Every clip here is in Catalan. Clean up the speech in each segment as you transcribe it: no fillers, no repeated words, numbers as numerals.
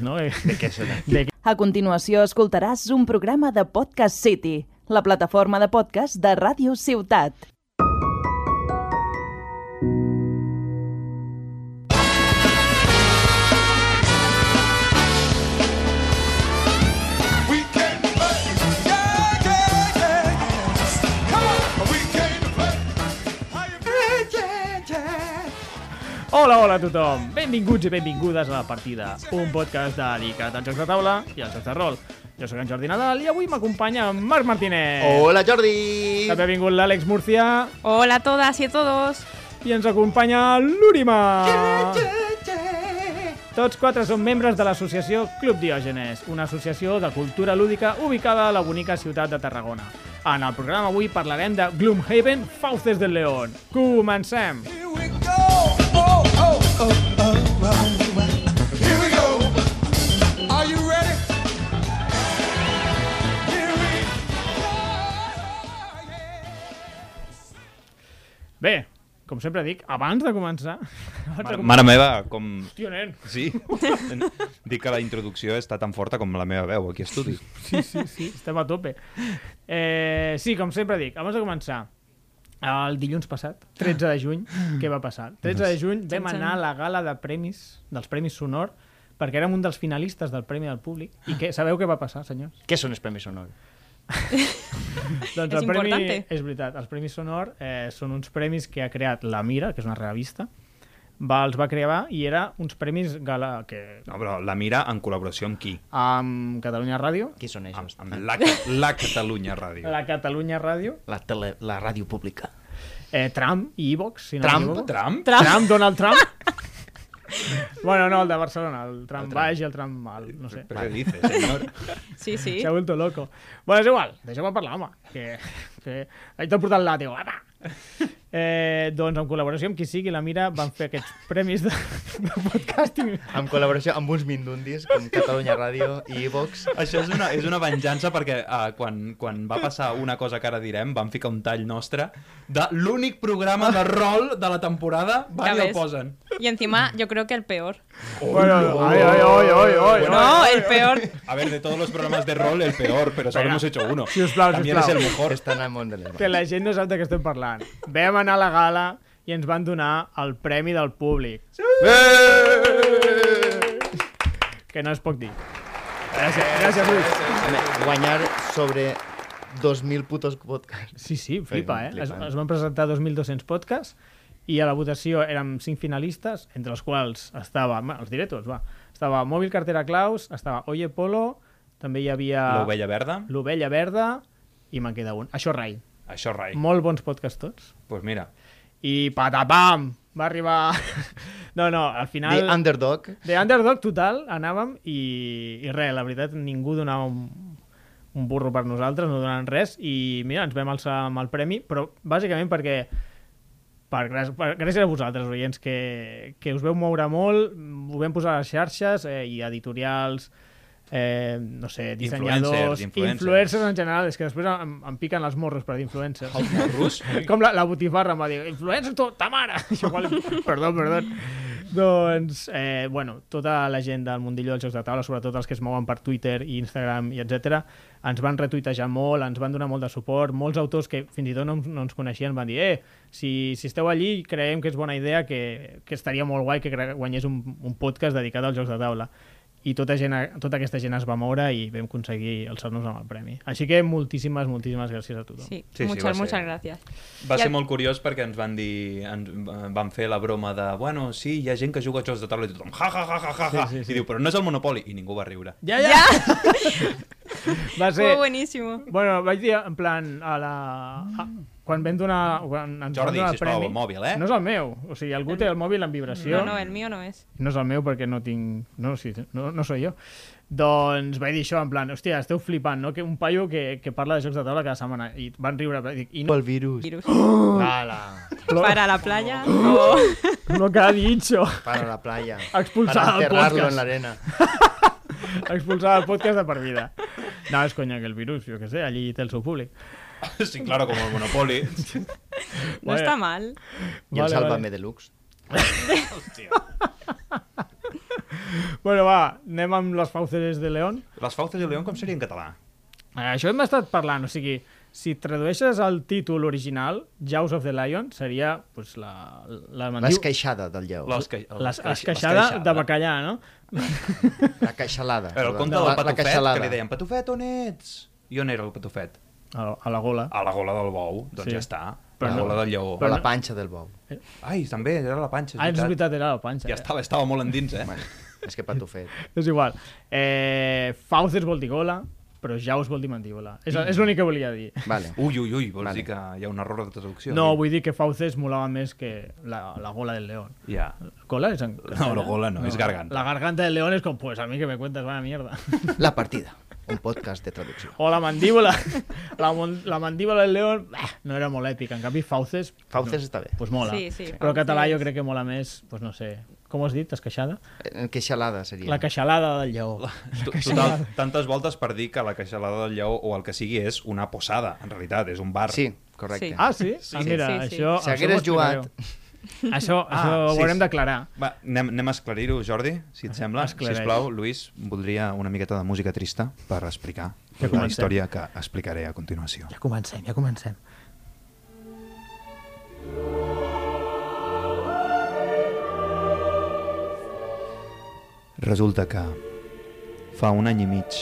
No? ¿De qué será? A continuació escoltaràs un programa de Podcast City, la plataforma de podcast de Ràdio Ciutat. Hola, hola a tothom! Benvinguts i benvingudes a La Partida, un podcast dedicat als jocs de taula i als jocs de rol. Jo sóc en Jordi Nadal i avui m'acompanya en Marc Martínez. Hola, Jordi! També ha vingut l'Àlex Murcia. Hola a todas y a todos. I ens acompanya l'Úrima. Tots quatre són membres de l'associació Club Diògenes, una associació de cultura lúdica ubicada a la bonica ciutat de Tarragona. En el programa avui parlarem de Gloomhaven, Fauces del León. Comencem! Here we go. Are you ready? Here we go. Bé, com sempre dic, abans de començar... Mare meva, com... Hòstia, nen! Sí? Dic que la introducció està tan forta com la meva veu aquí a estudi. Sí, estem a tope. Sí, com sempre dic, abans de començar, el dilluns passat, 13 de juny, què va passar? 13 de juny vam anar a la gala de premis, dels Premis Sonor, perquè érem un dels finalistes del Premi del Públic. I sabeu què va passar, senyors? ¿Qué son los premios Sonor? Doncs És el premi, importante. és veritat, els Premis Sonor són uns premis que ha creat la Mira, que és una revista, els va crear i era uns premis gala que... No, però la Mira en col·laboració amb qui? amb Catalunya Ràdio, ¿Qué son ellos? Amb la Catalunya Ràdio. la Catalunya Ràdio, La radio pública. Trump i Evox, si no Trump? m'equivoco. Trump? Donald Trump. Bueno, no, el de Barcelona, el Trump baix i el Trump alt, no sé. ¿Pero qué dice, señor? Sí, sí. Se ha vuelto loco. Bueno, és igual, deixeu-me parlar, home. Que ahí t'ha portat el làtigo, apa! Doncs en col·laboració amb qui sigui, la Mira van fer aquests premis de podcasting. En col·laboració amb uns mindundis com Catalunya Ràdio i Evox. Això és una venjança perquè quan va passar una cosa que ara direm, van ficar un tall nostre de l'únic programa de rol de la temporada, van i el ves? posen. Y encima yo creo que el peor. Bueno, ay. No, el peor. A ver, de todos los programas de rol, el peor, pero solo hemos hecho uno. Sisplau, También es el mejor. Estan al món de les Que la gent no sap de què estem parlant. Vam anar a la gala i ens van donar el premi del públic. Que no es pot dir. Gràcies, Lluís. Guanyar sobre 2.000 putos podcasts. Sí, flipa, Flipant. Es van presentar 2.200 podcasts i a la votació érem 5 finalistes, entre els quals estava, els diré tots, va. Estava Mòbil Cartera Claus, estava Oye Polo, també hi havia L'Ovella Verda? l'Ovella Verda i me'n queda un. Això rai. Això, rai. Molt bons podcasts tots. Pues mira. I patapam! Va arribar... No, al final... The Underdog. The Underdog total, anàvem i res, la veritat, ningú donava un burro per nosaltres, no donaven res i mira, ens vam alçar amb el premi, però bàsicament perquè gràcies a vosaltres, oients, que us veu moure molt, ho vam posar a les xarxes i editorials, no sé, dissenyadors, influencers en general, és que després em piquen els morros per dir influencers. Els morros? Com la botifarra em va dir, influencers ta mare! Igual, perdó. Doncs, bueno, tota la gent del mundillo dels jocs de taula, sobretot els que es mouen per Twitter i Instagram i etc, ens van retuitejar molt, ens van donar molt de suport, molts autors que fins i tot no ens coneixien van dir, si esteu allí creiem que és bona idea, que estaria molt guai que guanyés un podcast dedicat als jocs de taula. I tota aquesta gent es va moure i vam aconseguir alçar-nos amb el premi. Així que moltíssimes gràcies a tothom. Sí, Sí, muchas va ser. gracias. Va ser molt curiós perquè ens van dir, van fer la broma de, bueno, sí, hi ha gent que juga a jocs de taula i tothom, ja. Sí. I diu, però no és el Monopoly, i ningú va riure. Ja! Va ser... Fue buenísimo. Bueno, vaig dir en plan quan ens Jordi, van donar el sisplau, premi... el mòbil, eh? No és el meu, o sigui, algú té el mòbil en vibració. No, el mío no es. No és el meu perquè no tinc... No soy jo. Doncs vaig dir això, en plan, hòstia, esteu flipant, no? Que un paio que parla de jocs de taula cada setmana. I van riure. I no, El virus. Ala. Para la playa. o- Lo que ha dicho. Para la playa. Expulsado Para del enterrarlo podcast. en la arena. Expulsado del podcast de per vida. No, és conya que el virus, jo què sé, allí té el seu públic. Sí, claro, como el Monopoly. No está mal. Y el Sálvame Deluxe. Hòstia. Bueno, va, anem amb les Fauces de León. Les Fauces de León com seria en català? Això hem estat parlant, o sigui, si tradueixes el títol original, Jaws of the Lion, seria pues, la L'esqueixada del lleó. l'esqueixada de bacallà, no? La queixalada. Era el perdó. conte del La patufet, queixalada. que li deien, patufet, on ets? I on era el patufet? A la gola. A la gola del bou, doncs Sí. ja està. Però A la no- gola del lleó. O la panxa del bou. Ai, també, era la panxa, Ah, és veritat, era la panxa. Ja estava molt endins, Bueno, és que patufet. És igual. Fauces vol dir gola, però Jaws vol dir mandíbula. És l'únic que volia dir. Vale. Ui, vols Vale. dir que hi ha un error de traducció? No, aquí? vull dir que Fauces molava més que la gola del león. Ja. ¿Gola es en No, la gola no, es garganta. La garganta del león es como, pues a mí que me cuentas, vaya mierda. La partida. Un podcast de traducció. O la mandíbula. La mandíbula del león no era molt èpica. En canvi, Fauces... Fauces està bé. Pues mola. Sí, sí, Però en català Fauces. jo crec que mola més, pues no sé... Com has dit, esqueixada? Queixalada seria. La queixalada del lleó. Total, tantes voltes per dir que la queixalada del lleó o el que sigui és una posada, en realitat, és un bar. Sí, correcte. Sí. Ah, sí? Ah, mira, Sí, sí. això... Si això hagueres m'ho explicareu. jugat... Això sí, ho haurem d'aclarar. Va, anem a esclarir-ho, Jordi, si et sembla. Esclareix. Sisplau, Lluís, voldria una miqueta de música trista per explicar Ja la comencem. història que explicaré a continuació. Ja comencem. Resulta que fa un any i mig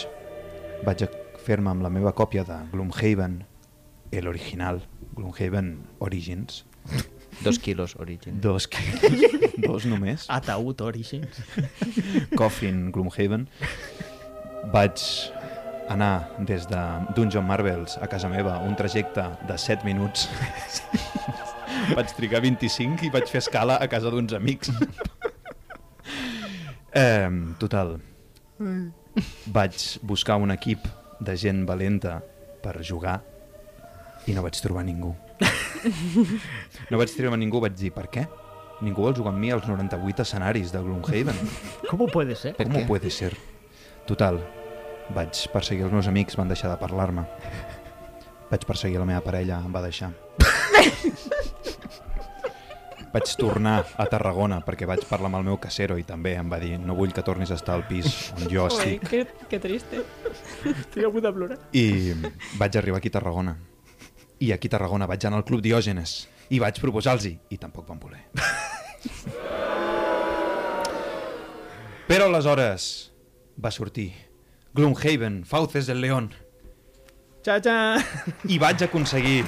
vaig a fer-me amb la meva còpia de Gloomhaven, l'original, Gloomhaven Origins. 2 quilos, Origin. Dos només. Ataúd Origins. Coffin Gloomhaven. Vaig anar des de Dungeon Marvels a casa meva, un trajecte de 7 minuts. Vaig trigar 25 i vaig fer escala a casa d'uns amics. Total. Vaig buscar un equip de gent valenta per jugar i no vaig trobar ningú. No vaig trobar ningú, vaig dir, per què? Ningú vol jugar amb mi als 98 escenaris de Gloomhaven. ¿Cómo puede ser? Per Com què? puede ser? Total, vaig perseguir els meus amics, van deixar de parlar-me. Vaig perseguir la meva parella, em va deixar. Vaig tornar a Tarragona perquè vaig parlar amb el meu casero i també em va dir no vull que tornis a estar al pis on jo Uy, estic. qué triste. Estic a punt de plorar. I vaig arribar aquí a Tarragona. I aquí a Tarragona vaig anar al Club Diògenes i vaig proposar-los-hi i tampoc van voler. Però aleshores va sortir Gloomhaven, Fauces del León Xa-xa! i vaig aconseguir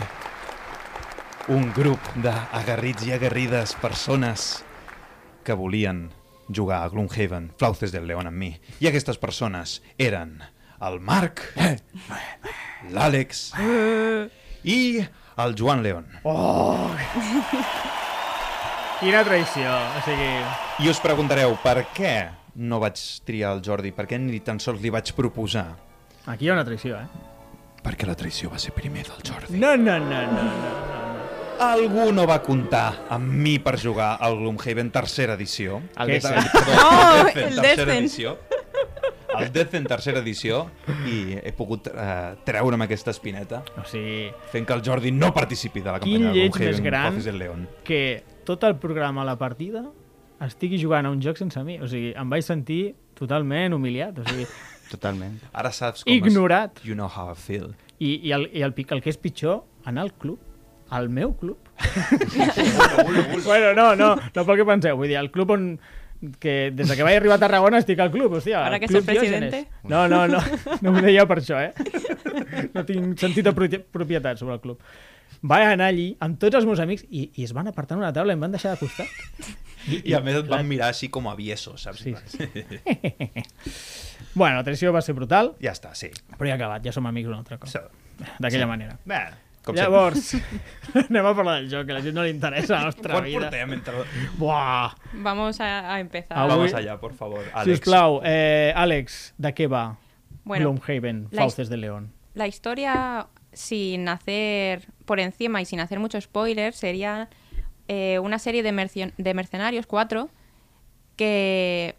un grup d'agarrits i agarrides persones que volien jugar a Gloomhaven, Fauces del León amb mi. I aquestes persones eren el Marc, l'Àlex i el Joan León. Quina traïció. O sigui... I us preguntareu per què no vaig triar el Jordi, per què ni tan sols li vaig proposar? Aquí hi ha una traïció, Perquè la traïció va ser primer del Jordi. No. Algú no va comptar amb mi per jugar al Gloomhaven tercera edició. El Què Descent. No, Death en el tercera Descent. edició. El Death en tercera edició i he pogut treure'm aquesta espineta O sigui, fent que el Jordi no participi de la Quin campanya de lleig més Gloomhaven, gran. Fauces del León. que tot el programa a la partida estigui jugant a un joc sense mi. O sigui, em vaig sentir totalment humiliat. O sigui, Totalment. Ara saps com ignorat. You know how I feel. I el que és pitjor, anar al club, al meu club. Bueno, no pel que penseu. Vull dir, el club on... que des de que vaig arribar a Tarragona estic al club, hòstia. Ara al que Club ets el presidente. Diògenes. No m'ho deia per això, No tinc sentit de propietat sobre el club. Vaig anar allí amb tots els meus amics i es van apartar en una taula i em van deixar de costat. I a més et van mirar així com a aviesos, saps? Sí, Bueno, la traïció va ser brutal, Ja està, sí. però ja ha acabat, ja som amics una altra cosa. D'aquella manera. Bé, com Llavors, anem a parlar del joc, que a la gent no li interessa la nostra Quan vida. portem entre... Buah! Vamos a empezar. Avui- Vamos allá, por favor. Àlex. Sisplau, Àlex, ¿de qué va Bueno, Gloomhaven, la Fauces de León? la historia, sin hacer por encima y sin hacer mucho spoiler, sería una serie de mercenarios, 4, que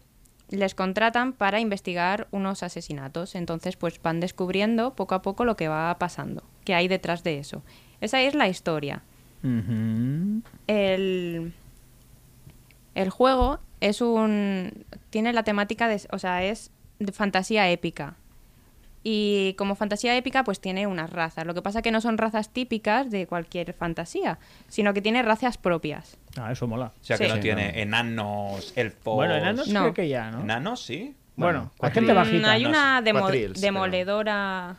les contratan para investigar unos asesinatos. Entonces, pues van descubriendo poco a poco lo que va pasando, que hay detrás de eso. Esa es la historia. Mhm. El juego tiene la temática o sea, es de fantasía épica. Y como fantasía épica, pues tiene unas razas. Lo que pasa que no son razas típicas de cualquier fantasía, sino que tiene razas propias. Ah, eso mola. O sea, que Sí. no tiene enanos, elfos... Bueno, enanos No. creo que ya, ¿no? ¿Enanos, sí? Bueno, hay cuatril. gente bajita. Hay una Quatrils, demoledora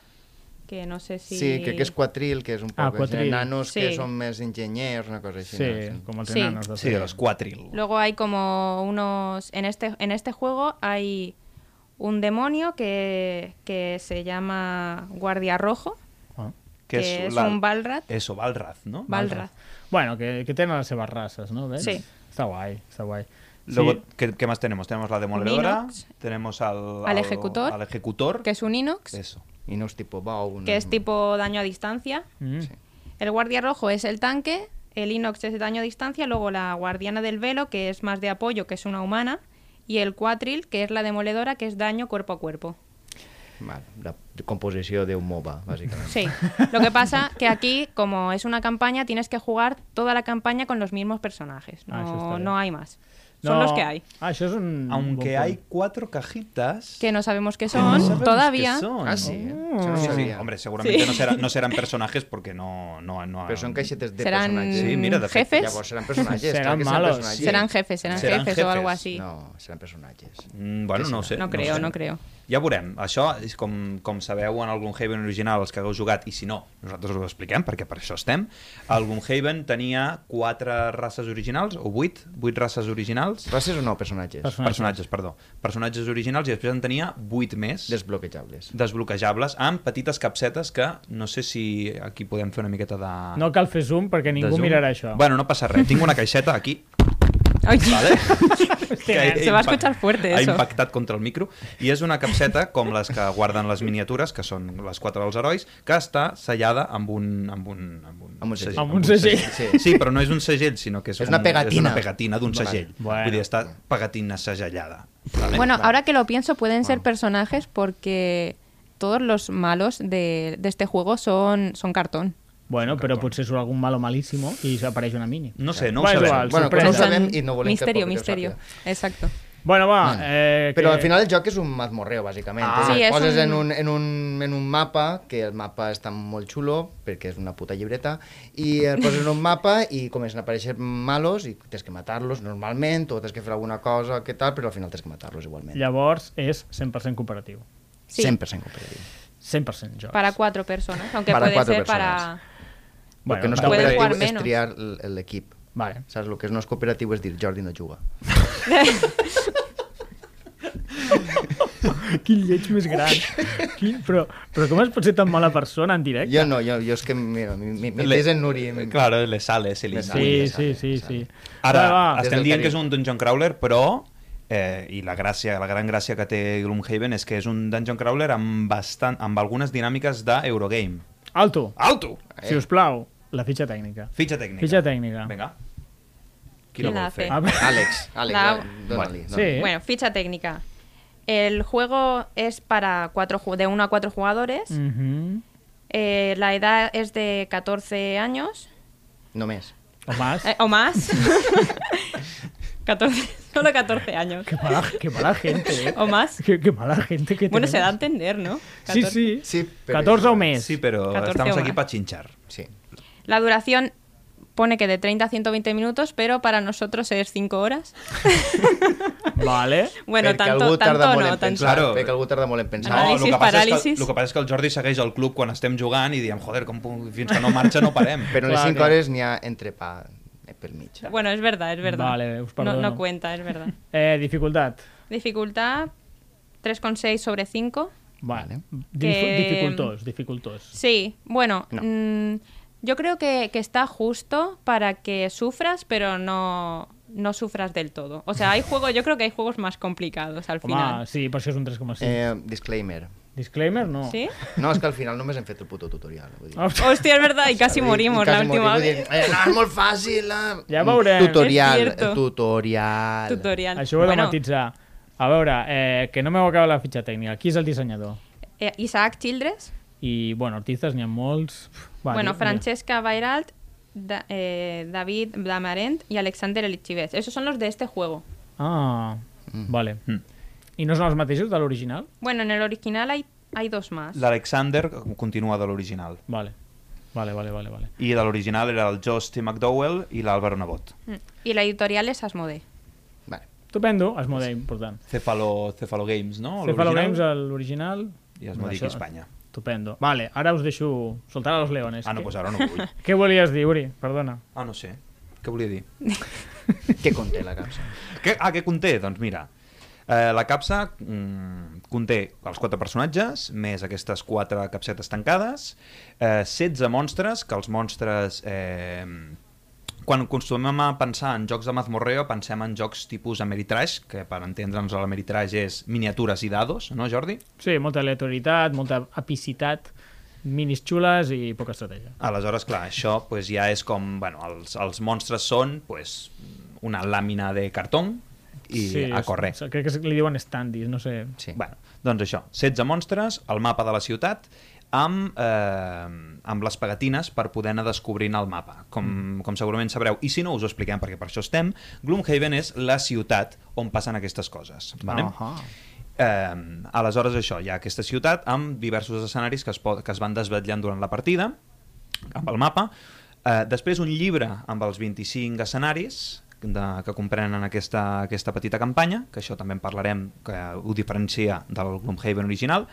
que no sé si... Sí, crec que és quatril, que és un Ah, poc... els quatril. nanos que Sí. són més enginyers, una cosa així. Sí, no? como los Sí. enanos. Sí, de los Quatril. Luego hay como unos... En este juego hay un demonio que se llama Guardia Rojo, Ah. que es un Balrath. Eso, Balrath, ¿no? Balrath. Bueno, que tenen las seves razas, ¿no? ¿Ves? Sí. Está guay, está guay. Luego, Sí. ¿qué más tenemos? Tenemos la demoledora, Minox. tenemos al Ejecutor. al ejecutor. Que es un Inox, Eso. I no és tipus bou. que es tipo daño a distancia. Mm. Sí. El Guardia Rojo es el tanque, el Inox es el daño a distancia, luego la Guardiana del Velo, que es más de apoyo, que es una humana, y el Quatril, que es la demoledora, que es daño cuerpo a cuerpo. Vale, la composició d'un MOBA, bàsicament. Sí. Lo que pasa que aquí, como es una campaña, tienes que jugar toda la campaña con los mismos personajes. Ah, eso está No, bien. no hay más. Son los que hay. Ah, això és un... Aunque bon hay punt. 4 cajitas... Que no sabemos qué no son sabemos todavía. qué son. Ah, sí? Això no ho Sí, sí, sabia. hombre, seguramente Sí. no serán personajes porque no Però són caixetes de Serán personatges. Sí, mira, de fet, jefes. Llavors seran personatges. Seran clar que malos. personatges. Serán jefes, serán Serán jefes, jefes. o algo así. No, seran personatges. Bueno, no ho sé. No creo, sé. no creo. Ja veurem. Això, és com sabeu en el Gloomhaven original, els que hagueu jugat, i si no, nosaltres us ho expliquem, perquè per això estem. El Gloomhaven tenia 4 races originals, o 8 races originals. Races o no, personatges? Personatges, perdó. Personatges originals, i després en tenia 8 més Desbloquejables. desbloquejables, amb petites capsetes que no sé si aquí podem fer una miqueta de... No cal fer zoom perquè de ningú zoom. mirarà això. Bueno, no passa res. Tinc una caixeta aquí, Ay, vale? Hòstia, he se va a impact- escuchar fuerte ha eso. impactat contra el micro, i és una capseta com les que guarden les miniatures, que són les 4 dels herois, que està sellada amb un Amb un segell. Amb un segell. Sí. Sí, però no és un segell, sinó que és, És una pegatina. És una pegatina d'un Vale. segell. Bueno. Vull dir, està pegatina segellada. Vale? Bueno, ahora que lo pienso, pueden ser personajes porque todos los malos de este juego son cartón. Bueno, però potser surt algun malo malíssimo i apareix una mini. No sé, no ho Va, és sabem. igual, Bueno, que no ho sorpresa. sabem i no volem Misterio, que misterio. Exacto. Bueno, va. Però que- al final el joc és un mazmorreo, bàsicament. Sí, és poses un- en un mapa, que el mapa està molt xulo, perquè és una puta llibreta, i el poses en un mapa i comencen a aparèixer malos i tens que matar-los normalment, o tens que fer alguna cosa, que tal, però al final tens que matar-los igualment. Llavors és 100% cooperatiu. Sí. 100% cooperatiu. 100% joc. Para 4 personas, aunque Para puede 4 ser personas. para... Perquè no és tampoc- Puedes jugar cooperatiu, és menos. triar l'equip. Vale. Saps? El que no és cooperatiu és dir Jordi no juga. Quin lleig més gran. Però com es pot ser tan mala persona en directe? Jo no, jo és que, mira, m'he en Nuri. Claro, le sale, se li Le sale. sale. Sí. Ara, Va, va. Des estem del dient carinyo. que és un dungeon crawler, però... I la gran gràcia que té Gloomhaven és que és un dungeon crawler amb algunes dinàmiques d'Eurogame. Alto, Alto! si us plau, la fitxa tècnica. Fitxa tècnica. Fitxa tècnica. Vinga. Qui ¿Quién la la vol hace? fer? A veure, Àlex, La- dóna-li. sí. Bueno, ficha técnica. El juego es para de 1 a 4 jugadores. Mhm. La edad es de 14 años Només. O más. o más. 14, solo 14 años. Qué mala gente, O más. Qué mala gente que Bueno, se da a tenemos. entender, ¿no? Sí, 14. sí. Sí, però 14 o igual. més. Sí, però 14 estamos o aquí más. para chinchar. Sí. La duración pone que de 30 a 120 minutos, pero para nosotros es 5 horas. Vale. Bueno, Perquè algú tanto tarda molt no, en tanto. pensar. Claro. Perquè algú tarda molt en pensar. Anàlisis, el que passa paràlisis. el que passa és que el Jordi segueix el club quan estem jugant i diem, joder, fins que no marxa no parem. Però en les Clar, 5 clar. hores n'hi ha entrepà pel mig. Bueno, es verdad, es verdad. Vale, us no, perdono. no cuenta, es verdad. Dificultat. Dificultad 3,6 sobre 5. Vale. Que- Dificultós. Sí, bueno, No. yo creo que está justo para que sufras, pero no sufras del todo. O sea, yo creo que hay juegos más complicados al Home, final. sí, per això és un 3,5. Disclaimer. Disclaimer, no. ¿Sí? No, és que al final només hem fet el puto tutorial. Vull dir. Hostia, es verdad, y casi morimos la última Vull vez. dir, no, és molt fàcil. Ja veurem. Tutorial, És cierto. tutorial. Tutorial. Això ho he de Bueno, matitzar. A veure, que no m'heu acabat la fitxa tècnica. Qui és el dissenyador? Isaac Childress, I, bueno, artistes n'hi ha molts. Va, bueno, di- Francesca Bairalt, David Damarent y Alexander Elichivets. Esos son los de este juego. Vale. I no són els mateixos de l'original? Bueno, en el original hay dos más. L'Alexander continua de l'original. Vale. I de l'original era el Josh T. McDowell i l'Álvaro Nebot. Y la editorial es Asmodee. Vale. Estupendo, Asmodee, important. Cephalo Games, no? Cephalo L'original. Games, l'original. I Asmodee Això- aquí a Espanya. Estupendo. Vale, ara us deixo soltar a los leones. Ah, no, doncs ara no vull. Què volies dir, Uri? Perdona. Ah, no sé. Què volia dir? Què conté la capsa? Què conté? Doncs mira, la capsa conté els 4 personatges, més aquestes 4 capsetes tancades, 16 monstres, que els monstres... Quan acostumem a pensar en jocs de mazmorreo, pensem en jocs tipus Ameritrash, que per entendre'ns l'Ameritrash és miniatures i dados, no, Jordi? Sí, molta aleatorietat, molta epicitat, minis xules i poca estratègia. Aleshores, clar, això pues, ja és com... Bueno, els monstres són pues, una làmina de cartó i a correr. Crec que li diuen standees, no sé. Sí. Bueno, doncs això, 16 monstres, el mapa de la ciutat, amb les pegatines per poder anar descobrint el mapa. Com segurament sabreu, i si no us ho expliquem perquè per això estem, Gloomhaven és la ciutat on passen aquestes coses. Vale? Aleshores això, hi ha aquesta ciutat amb diversos escenaris que es van desvetllant durant la partida, amb el mapa. Després un llibre amb els 25 escenaris que comprenen aquesta petita campanya, que això també en parlarem, que ho diferencia del Gloomhaven original.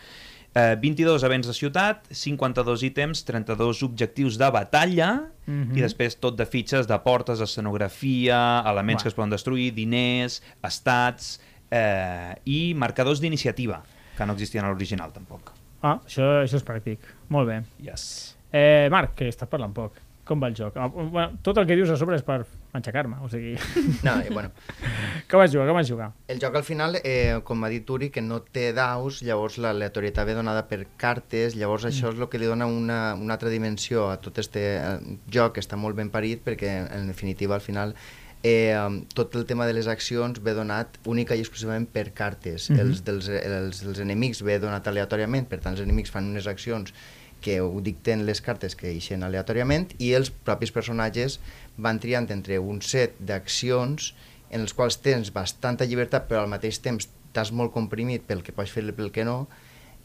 22 events de ciutat, 52 ítems, 32 objectius de batalla i després tot de fitxes de portes, escenografia, elements que es poden destruir, diners, estats i marcadors d'iniciativa, que no existien a l'original tampoc. Ah, això és pràctic. Molt bé. Yes. Marc, que estàs parlant poc. Com va el joc? Bueno, tot el que dius a sobre és per enxacar-me, o sigui... No, bueno. Com vas jugar? El joc al final, com ha dit Turi, que no té daus, llavors l'aleatorietat ve donada per cartes, llavors això és el que li dona una altra dimensió a tot este joc, que està molt ben parit, perquè en definitiva al final tot el tema de les accions ve donat única i exclusivament per cartes. Els enemics ve donat aleatòriament, per tant els enemics fan unes accions que ho dicten les cartes que eixen aleatòriament i els propis personatges van triant entre un set d'accions en els quals tens bastanta llibertat però al mateix temps estàs molt comprimit pel que pots fer i pel que no,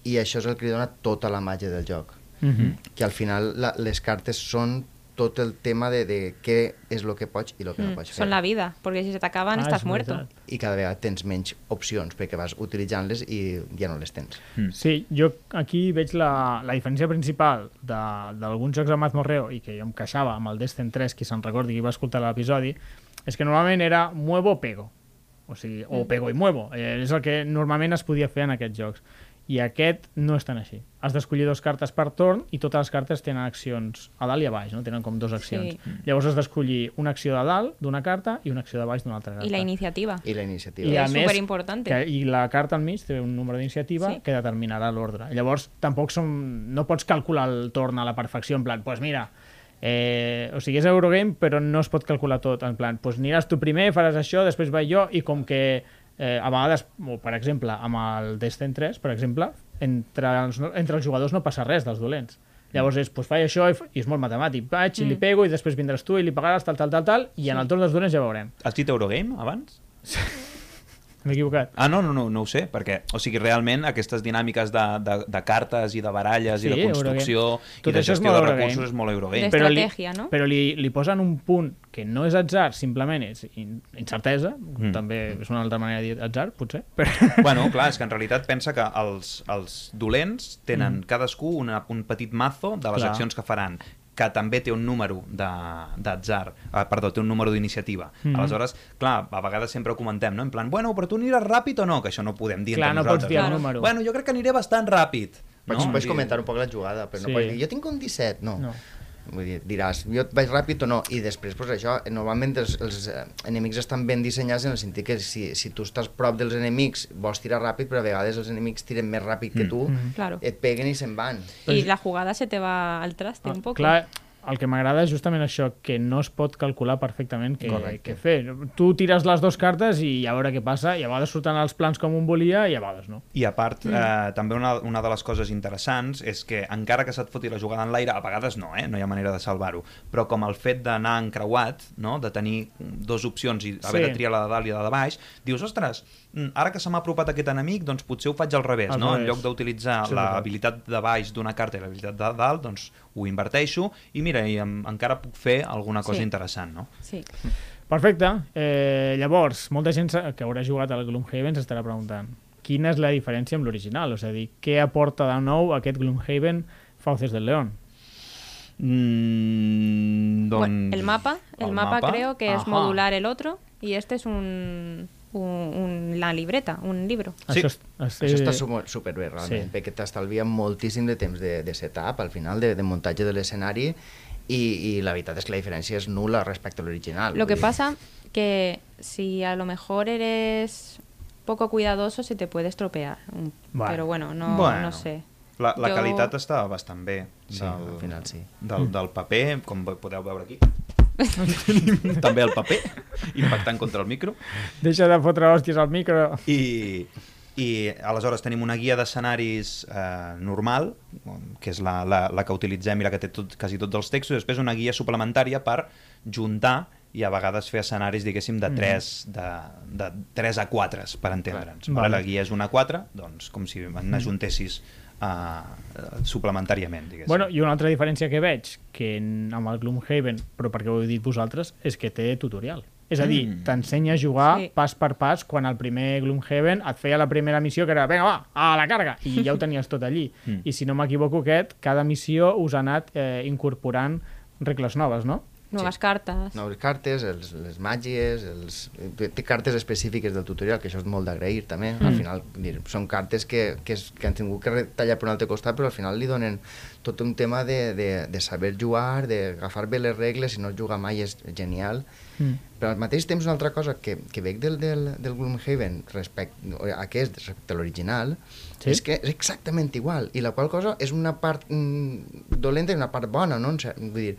i això és el que li dona tota la màgia del joc. Que al final les cartes són tot el tema de què és el que pots i el que no pots fer. Son la vida, porque si se te acaban estás muerto. I cada vegada tens menys opcions perquè vas utilitzant-les i ja no les tens. Sí, jo aquí veig la diferència principal d'alguns jocs de mazmorreo i que jo em queixava amb el Destin 3, qui se'n recordi, qui va escoltar l'episodi, és que normalment era muevo o pego. O sigui, o pego i muevo. És el que normalment es podia fer en aquests jocs. I aquest no és tan així. Has d'escollir 2 cartes per torn i totes les cartes tenen accions a dalt i a baix, no? Tenen com 2 accions. Sí. Llavors has d'escollir una acció de dalt d'una carta i una acció de baix d'una altra carta. Y la iniciativa. I la iniciativa. I a És més, superimportante. I la carta al mig té un número d'iniciativa que determinarà l'ordre. Llavors, tampoc no pots calcular el torn a la perfecció, en plan, pues mira, o sigui, és Eurogame, però no es pot calcular tot, en plan, pues aniràs tu primer, faràs això, després vaig jo, i com que a vegades, per exemple, amb el Destin 3, per exemple, entre els jugadors no passa res dels dolents. Llavors és, pues faig això i és molt matemàtic. Vaig i li pego i després vindràs tu i li pagaràs tal, i en el torn dels dolents ja veurem. Has dit Eurogame abans? M'he equivocat. Ah, no ho sé, perquè, o sigui, realment aquestes dinàmiques de cartes i de baralles i de construcció i de gestió de recursos és molt Eurogame. De estratègia, no? Però li posen un punt que no és atzar, simplement és incertesa, també és una altra manera de dir atzar, potser. Però... Bueno, clar, és que en realitat pensa que els dolents tenen cadascú un petit mazo de les accions que faran, que també té un número d'atzar, té un número d'iniciativa. Aleshores, clar, a vegades sempre ho comentem, no? En plan, bueno, però tu aniràs ràpid o no? Que això no ho podem dir entre nosaltres. Clar, no pots dir el número. Bueno, jo crec que aniré bastant ràpid. Pots comentar un poc la jugada, però no pots dir, jo tinc un 17, no. Vull dir, diràs, jo vaig ràpid o no, i després, pues, això, normalment els enemics estan ben dissenyats en el sentit que si tu estàs prop dels enemics vols tirar ràpid, però a vegades els enemics tiren més ràpid que tu, Claro. et peguen i se'n van. Y la jugada se te va al traste un poco. Clar, el que m'agrada és justament això, que no es pot calcular perfectament Correcte. què fer. Tu tires les dues cartes i a veure què passa, i a vegades surten els plans com un volia i a vegades no. I a part, també una de les coses interessants és que encara que se't foti la jugada en l'aire, a vegades no hi ha manera de salvar-ho, però com el fet d'anar encreuat, no? De tenir dues opcions i haver de triar la de dalt i la de baix, dius, ostres, ara que se m'ha apropat aquest enemic, doncs potser ho faig al revés, no? En lloc d'utilitzar l'habilitat de baix d'una carta i l'habilitat de dalt, doncs ho inverteixo i mira, encara puc fer alguna cosa interessant, no? Sí. Perfecte. Llavors, molta gent que haurà jugat al Gloomhaven s'estarà preguntant quina és la diferència amb l'original, és a dir, què aporta de nou aquest Gloomhaven Fauces del León? Bueno, el mapa creo que es modular el otro y este es la libreta, un libro. Sí. Això està superbé, realment, perquè t'estalvia moltíssim de temps de setup, al final, de muntatge de l'escenari, i la veritat és que la diferència és nula respecte a l'original. Lo que pasa que si a lo mejor eres poco cuidadoso se te puede estropear. Pero bueno, no sé. La qualitat està bastant bé. Sí, al final sí. Del paper, com podeu veure aquí. També el paper, impactant contra el micro. Deixa de fotre hòsties al micro. I aleshores tenim una guia d'escenaris normal, que és la que utilitzem i la que té quasi tots els textos, i després una guia suplementària per juntar i a vegades fer escenaris, diguéssim, de 3 a 4, per entendre'ns. Vale. La guia és una 4, doncs com si n'ajuntessis suplementàriament, diguéssim. Bueno, i una altra diferència que veig, que amb el Gloomhaven, però perquè ho heu dit vosaltres, és que té tutorial. És a dir, t'ensenya a jugar pas per pas, quan el primer Gloomhaven et feia la primera missió, que era, vinga, va, a la càrrega, i ja ho tenies tot allí. I si no m'equivoco, cada missió us ha anat incorporant regles noves, no? Nuevas cartes. Noves cartes, les màgies, té cartes específiques del tutorial, que això és molt d'agrair també. Al final són cartes que han tingut que tallar per un altre costat, però al final li donen tot un tema de saber jugar, d'agafar bé les regles, si no jugar mai és genial. Però al mateix temps una altra cosa que veig del Gloomhaven respecte a l'original és que és exactament igual, i la qual cosa és una part dolenta i una part bona, no? Vull dir,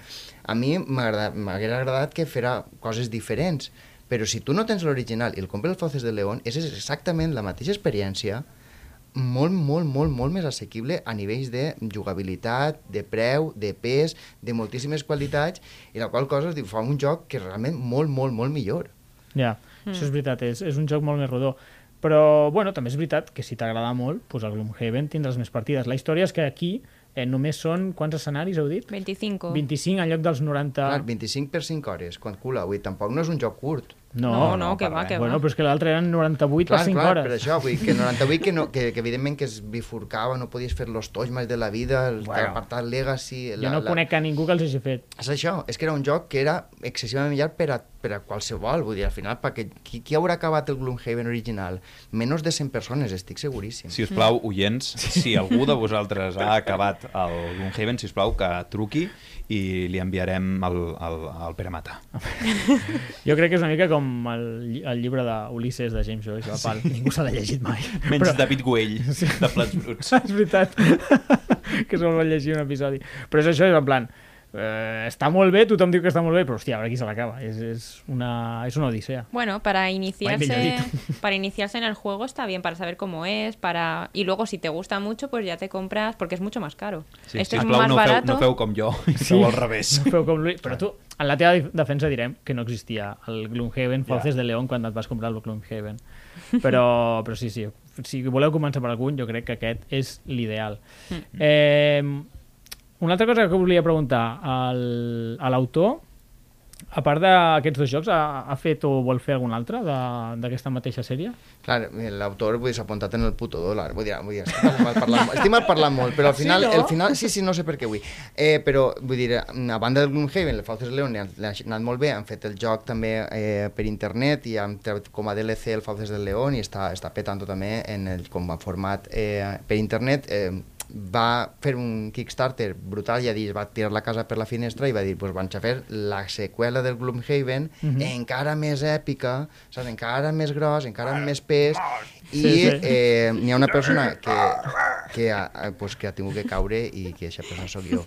a mi m'hauria agradat que fera coses diferents, però si tu no tens l'original i el compres el Fauces del León, és exactament la mateixa experiència, molt, molt, molt, molt més assequible a nivells de jugabilitat, de preu, de pes, de moltíssimes qualitats, i la qual cosa fa un joc que és realment molt, molt, molt millor. Ja, això és veritat, és un joc molt més rodó. Però, bueno, també és veritat que si t'agrada molt, doncs al Gloomhaven tindràs més partides. La història és que aquí només són, quants escenaris heu dit? 25. 25 en lloc dels 90... Clar, 25 per 5 hores, quan cula, vull dir, tampoc no és un joc curt. No, que va. Bueno, però és que l'altre eren 98 per 5 hores. Per això, vull dir, que 98 que evidentment que es bifurcava, no podies fer los toys més de la vida, l'apartat Legacy... Jo no conec a ningú que els hagi fet. És això, és que era un joc que era excessivament llarg per a qualsevol, vull dir, al final, perquè qui haurà acabat el Gloomhaven original? Menys de 100 persones, estic seguríssim. Si us plau, oients, si algú de vosaltres ha acabat el Gloomhaven, si us plau, que truqui i li enviarem el Pere Mata. Jo crec que és una mica com el llibre d'Ulisses de James Joyce, la Pal. Ningú s'ha llegit mai. Menys David Güell, de Plats Bruts. És veritat, que se'l va llegir un episodi. Però és això, és en plan, està molt bé, tothom diu que està molt bé, però hòstia, a veure qui se l'acaba. És una odisea. Bueno, para iniciarse en el juego está bien, para saber cómo es, y luego si te gusta mucho, pues ya te compras, porque es mucho más caro. Sí, Esto sisplau, es más barato. No feu com jo, feu al revés. Feu com lui. Però tu, en la teva defensa direm que no existia el Gloomhaven Fauces del León quan et vas comprar el Gloomhaven. Però sí, si voleu començar per algun, jo crec que aquest és l'ideal. Una altra cosa que volia preguntar a l'autor, a part d'aquests dos jocs, ha fet o vol fer algun altre d'aquesta mateixa sèrie? Clar, l'autor s'ha apuntat en el puto dòlar, vull dir, estic mal parlant molt, però al final, sí, no sé per què vull. Però, vull dir, a banda del Gloomhaven, el Fauces del León l'ha anat molt bé, han fet el joc també per internet i han tret com a DLC el Fauces del León i està petant-ho també com a format per internet. Va fer un Kickstarter brutal, va tirar la casa per la finestra i va dir, van a fer la seqüela del Gloomhaven encara més èpica, saps? Encara més gros, encara amb més pes, i n'hi ha una persona que que ha tingut que caure i que aquesta persona sóc jo.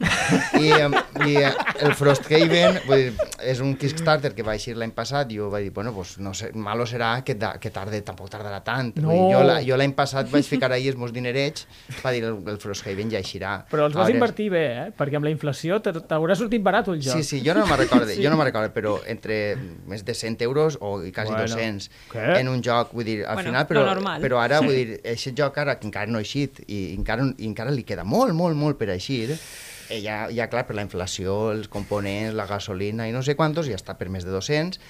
I el Frosthaven és un Kickstarter que va eixir l'any passat i jo vaig dir, bueno, pues, no sé, malo serà que tampoc tardarà tant. No. Jo l'any passat vaig ficar ahir els meus dinerets per dir el Frosthaven ja eixirà. Però els vas invertir bé, perquè amb la inflació t'haurà sortit barat el joc. Sí, jo no me'n recordo, però entre més de 100 euros o quasi 200 en un joc, vull dir, al final, però ara, vull dir, aquest joc ara que encara no ha eixit i encara li queda molt per eixir, ja clar, per la inflació, els components, la gasolina i no sé quantos, ja està per més de 200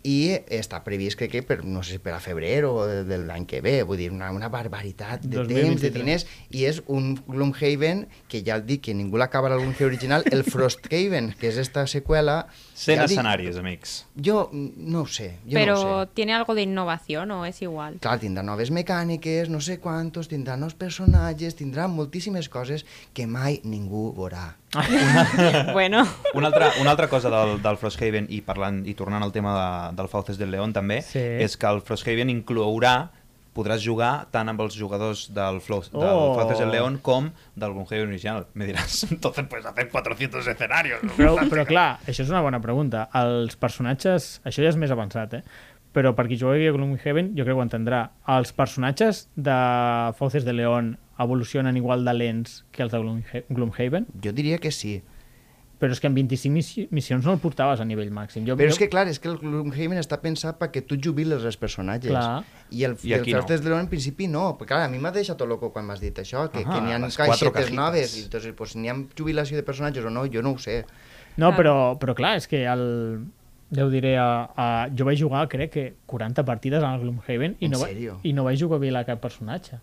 i està previst, crec que no sé si per a febrer o de l'any que ve, vull dir, una barbaritat de 2023. temps, de diners, i és un Gloomhaven que ja el dic, que ningú l'acaba el Gloomhaven original, el Frosthaven, que és esta seqüela... 100 escenaris, amics. Jo no ho sé, Pero tiene algo de innovación o es igual. Clar, tindrà noves mecàniques, no sé quantos, tindrà nous personatges, tindrà moltíssimes coses que mai ningú veurà. Bueno. Una altra cosa del Frosthaven, i tornant al tema del Fauces del León també, és que el Frosthaven podràs jugar tant amb els jugadors del Fauces del León com del Gloomhaven original. Me diràs, entonces puedes hacer 400 escenarios. Però clar, això és una bona pregunta. Els personatges, això ja és més avançat, però per qui jugui a Gloomhaven jo crec que ho entendrà. Els personatges de Fauces de León evolucionen igual de lents que els de Gloomhaven? Jo diria que sí. Però és que en 25 missions no el portaves a nivell màxim. Però és que, clar, és que el Gloomhaven està pensat perquè tu jubiles els personatges. Clar. I el Fauces de León en principi no. Perquè, clar, a mi m'ha deixat tot loco quan m'has dit això, que n'hi ha caixetes noves. I entonces, pues, n'hi ha jubilació de personatges o no, jo no ho sé. No, però clar, és que ja ho diré, jo vaig jugar, crec que 40 partides al Gloomhaven i no vaig jugar bé a cap personatge.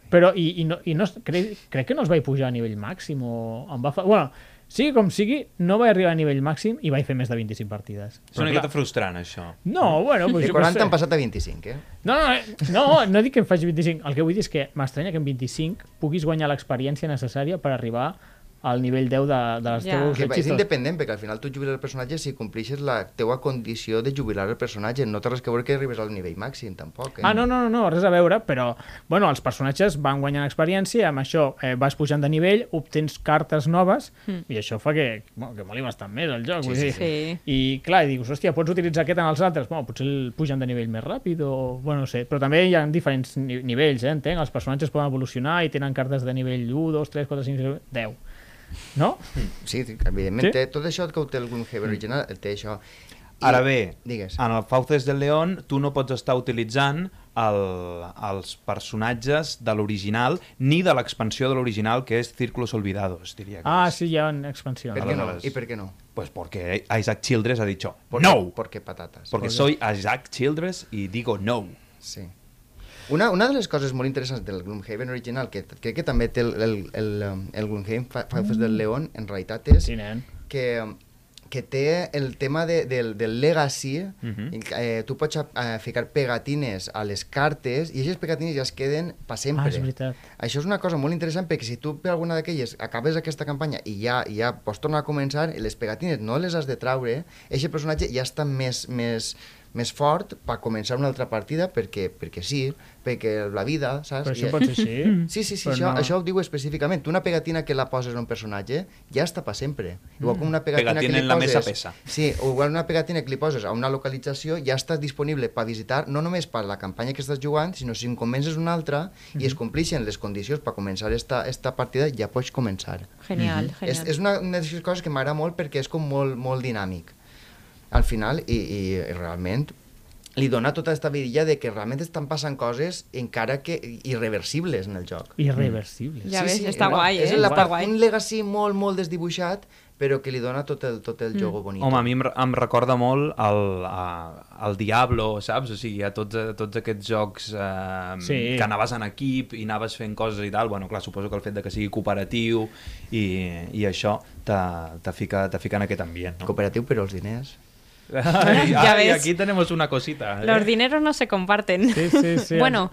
Però, crec que no els vaig pujar a nivell màxim o em va fer... Bueno, sigui com sigui, no vaig arribar a nivell màxim i vaig fer més de 25 partides. És una miqueta frustrant, això. No, bueno... De 40 han passat a 25, No dic que em faci 25. El que vull dir és que m'estranya que en 25 puguis guanyar l'experiència necessària per arribar al nivell 10 de les teus hechizos. És independent, perquè al final tu jubiles el personatge si complixes la teua condició de jubilar el personatge. No té res que veure que arribes al nivell màxim, tampoc. No, res a veure, però bueno, els personatges van guanyant experiència, amb això vas pujant de nivell, obtens cartes noves, i això fa que moli bastant més el joc. Sí. I clar, dius, hòstia, pots utilitzar aquest en els altres? Bueno, potser el pugen de nivell més ràpid o... Bueno, no sé, però també hi ha diferents nivells, entenc? Els personatges poden evolucionar i tenen cartes de nivell 1, 2, 3, 4, 5, 6, 10. No? Sí, evidentment, tot això que ho té el Gloomhaven original, té això. Ara bé, digues. En el Fauces del León tu no pots estar utilitzant els personatges de l'original ni de l'expansió de l'original, que és Círculos Olvidados, diria que és. Sí, hi ha una expansió. Per què no? I per què no? Pues porque Isaac Childress ha dicho no. Porque patatas. Porque soy Isaac Childress y digo no. Sí. Una de les coses molt interessants del Gloomhaven original, que crec que també té el Gloomhaven Fauces del León, en realitat és que té el tema del legacy. Tu pots ficar pegatines a les cartes i aquestes pegatines ja es queden per sempre. És veritat. Això és una cosa molt interessant, perquè si tu per alguna d'aquelles acabes aquesta campanya i ja pots tornar a començar, les pegatines no les has de traure, aquest personatge ja està més fort per començar una altra partida perquè sí, perquè la vida, saps? Però això pot ser així? Sí, això ho diu específicament. Tu una pegatina que la poses a un personatge ja està per sempre. Igual com una pegatina que li poses... en la mesa pesa. Sí, o igual una pegatina que li poses a una localització ja està disponible per visitar, no només per la campanya que estàs jugant, sinó si en comences una altra i es complixen les condicions per començar esta partida, ja pots començar. Genial. És una de les coses que m'agrada molt perquè és com molt dinàmic al final i realment li dona tota aquesta vidilla de que realment estan passant coses encara que irreversibles en el joc. Irreversibles. Ja ves, està guai, És un legacy molt desdibuixat, però que li dona tot el joc bonito. Home, a mi em recorda molt el Diablo, saps? O sigui, a tots aquests jocs que anaves en equip i anaves fent coses i tal. Bueno, clar, suposo que el fet de que sigui cooperatiu i això te fica en aquest ambient, no? Cooperatiu, però els diners... Ya ves. Y aquí tenemos una cosita. Los dineros no se comparten. Sí. Bueno.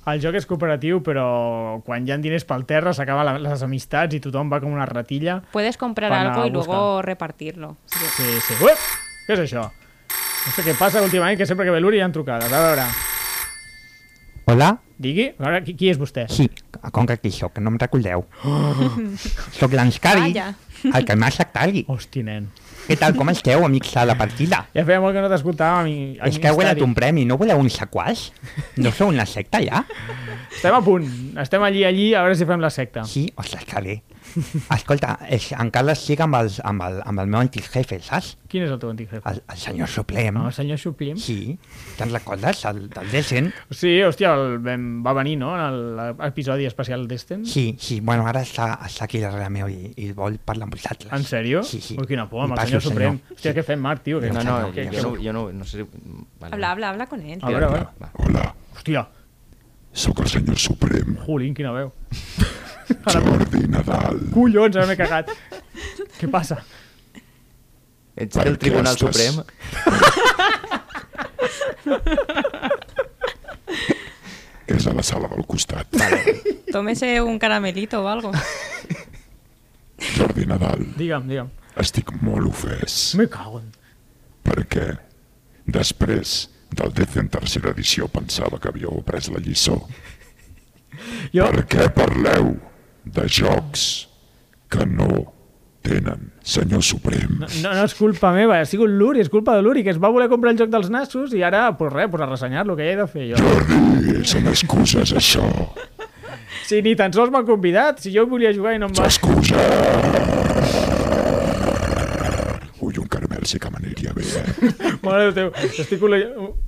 El joc és cooperatiu, però quan hi ha diners pel terra s'acaben les amistats i tothom va com una ratilla. Puedes comprar algo y luego repartirlo. Sí. Uep! Què és això? No sé què passa últimament, que sempre que ve l'Uri hi ha trucades. A veure... Hola? Digui, ara, qui és vostè? Sí, com que aquí sóc, que no em recordeu. Sóc l'Anscari, Vaya. el que m'ha sectari. Hosti, nen. Què tal, com esteu, amics de la partida? Ja feia molt que no t'escoltàvem. És que heu guanyat un premi, no voleu un sequàs? No sou una secta, ja? Estem a punt. Estem allí, a veure si fem la secta. Sí, ostres, que bé. Escolta, encara estic amb el meu antic jefe, saps? Quin és el teu antic jefe? El senyor Suprem. No, el senyor Suplim? Sí, te'n recordes, el del Descent? Sí, hòstia, va venir, no?, en l'episodi especial d'Esten. Sí, bueno, ara està aquí darrere meu i vol parlar amb vosaltres. En sèrio? Sí. Ui, quina por, amb Em el passo, senyor Suprem. senyor. Hòstia, què fem, Marc, tio? No sé si... Vale. Habla con él. A veure. Hola, Hòstia, sóc el senyor Suprem, Jolín, quina veu. Jordi Nadal. Collons, ara m'he cagat. Què passa? Ets del Tribunal Suprem? És a la sala del costat. Tómese un caramelito o algo. Jordi Nadal, Digue'm. estic molt ofès Me cago en... perquè després del Decent tercera edició pensava que havíeu après la lliçó. Jo... Per què parleu de jocs que no tenen, senyor Suprem? No és culpa meva, ha sigut l'Uri, és culpa de l'Uri, que es va voler comprar el joc dels nassos i ara, pues res, a ressenyar-lo, que ja he de fer jo. Jordi, són excuses, això. Si ni tan sols m'han convidat, si jo volia jugar i no em va... Excuses. Ui, un caramel sí que m'aniria bé, Mare de Déu,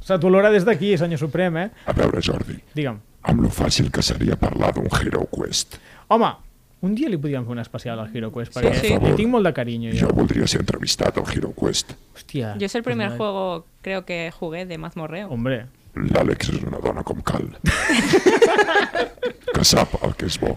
se t'olora des d'aquí, senyor Suprem, eh? A veure, Jordi, Digue'm. amb lo fàcil que seria parlar d'un Hero Quest. Home, un dia li podríem fer un especial al Hero Quest, perquè sí. li tinc molt de carinyo, Jo jo. voldria ser entrevistat al Hero Quest. Hòstia. Yo es el pues primer no- juego, creo que jugué de mazmorreo. Hombre, L'Àlex és una dona com cal. Que sap el que és bo.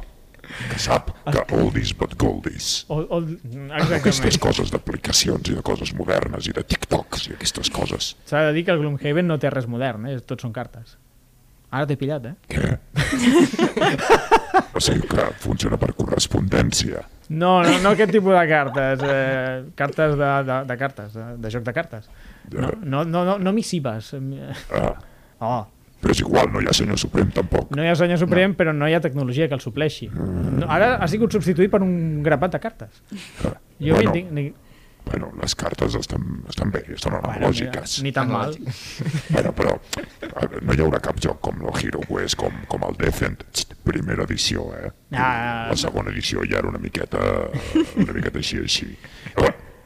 Que sap que oldies but goldies. Aquestes exactament. coses d'aplicacions i de coses modernes i de TikToks i aquestes coses. S'ha de dir que el Gloomhaven no té res modern, tot són cartes. Ara t'he pillat, Què? O sigui que funciona per correspondència. No aquest tipus de cartes. Cartes de cartes, de joc de cartes. No missives. Ah, però és igual, no hi ha senyor Suprem tampoc. No hi ha senyor Suprem, però no hi ha tecnologia que el supleixi. No, ara ha sigut substituït per un grapat de cartes. Jo Bueno, les cartes estan bé, estan analògiques. ni tan mal. Bueno, però no hi haurà cap joc com el Hero Quest, com el Decent, primera edició, La segona edició ja era una miqueta així.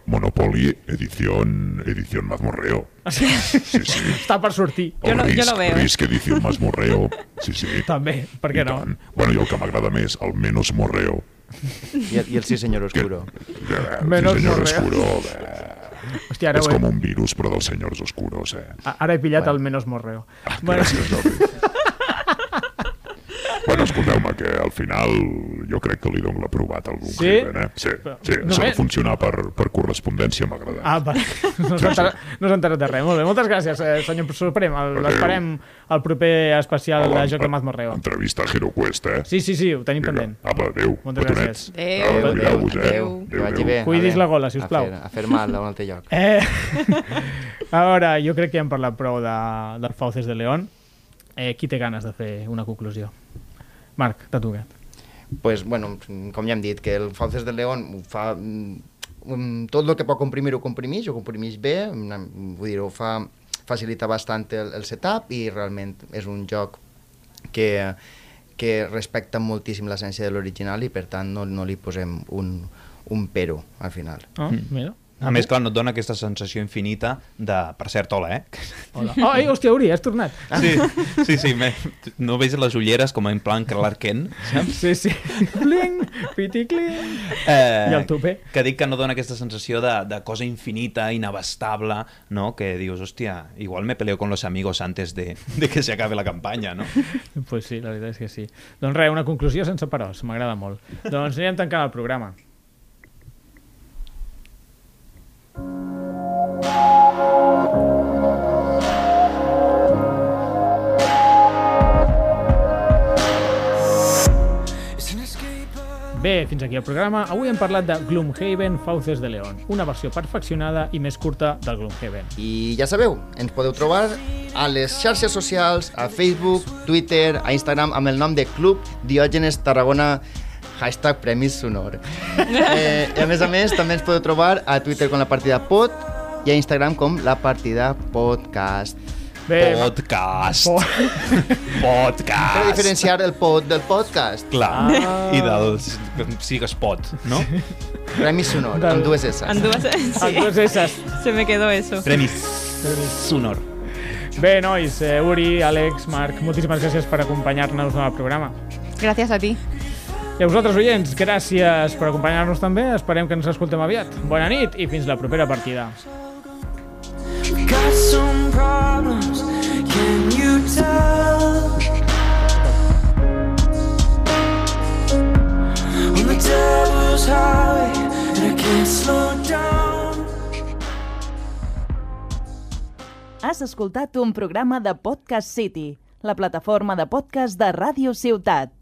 Monopoly, edición mazmorreo. Sí. Està per sortir. Yo lo veo. Risk, edición mazmorreo. Sí. També, per què no? Bueno, i el que m'agrada més, el menos morreo. I el sí senyor Oscuro. Menos senyor morreo. Oscuro, Hòstia, ara, és com un virus, però dels senyors oscuros, ara he pillat el menos morreo. Gràcies, Jordi. Bueno, escolteu-me, que al final jo crec que li dono l'aprovat al Gloomhaven, Sí, s'ha de funcionar per correspondència, m'ha agradat. Vale. No s'ha enterat de res. Molt bé, moltes gràcies, senyor Suprem. L'esperem al proper especial de Joc de Mazmorreo. Entrevista a Hero Quest, Sí, ho tenim pendent. Apa, adéu. Moltes gràcies. Adéu. Que vagi bé. Cuidis la gola, sisplau. A fer mal a un altre lloc. A veure, jo crec que ja hem parlat prou del Fauces de León. Qui té ganes de fer una conclusió? Marc, t'ha tocat. Pues, bueno, com ja hem dit, que el Fauces de León ho fa... tot el que pot comprimir ho comprimeix bé, vull dir, facilita bastant el setup i realment és un joc que respecta moltíssim l'essència de l'original i per tant no li posem un pero al final. Mira. A més, clar, no et dona aquesta sensació infinita de... Per cert, hola, Hola. Hòstia, Uri, has tornat. Sí, no veus les ulleres com en plan Clark Kent, saps? Sí. Bling, piticling. I el tupé. Que dic que no dona aquesta sensació de cosa infinita, inabastable, no? Que dius, hòstia, igual me peleo con los amigos antes de que se acabe la campanya, no? Pues sí, la veritat és que sí. Doncs res, una conclusió sense peròs, m'agrada molt. Doncs anirem tancant el programa. Bé, fins aquí el programa. Avui hem parlat de Gloomhaven Fauces de León, una versió perfeccionada i més curta del Gloomhaven. I ja sabeu, ens podeu trobar a les xarxes socials, a Facebook, Twitter, a Instagram, amb el nom de Club Diògenes Tarragona, #Premis Sonor. A més, també ens podeu trobar a Twitter com La Partida Pod i a Instagram com La Partida Podcast. Bé, Podcast. Per Podcast. diferenciar el pod del podcast. Clar. I dels... Sigues pot, no? Premis Sonor, amb dues S. Anduas, sí. Amb dues S's. Se me quedó eso. Premis. Sonor. Bé, nois, Uri, Àlex, Marc, moltíssimes gràcies per acompanyar-nos al programa. Gracias a ti. I a vosaltres, oients, gràcies per acompanyar-nos també. Esperem que ens escoltem aviat. Bona nit i fins la propera partida. Got some problems, can you tell? On the devil's highway, and I can't slow down. Has escoltat un programa de Podcast City, la plataforma de podcast de Ràdio Ciutat.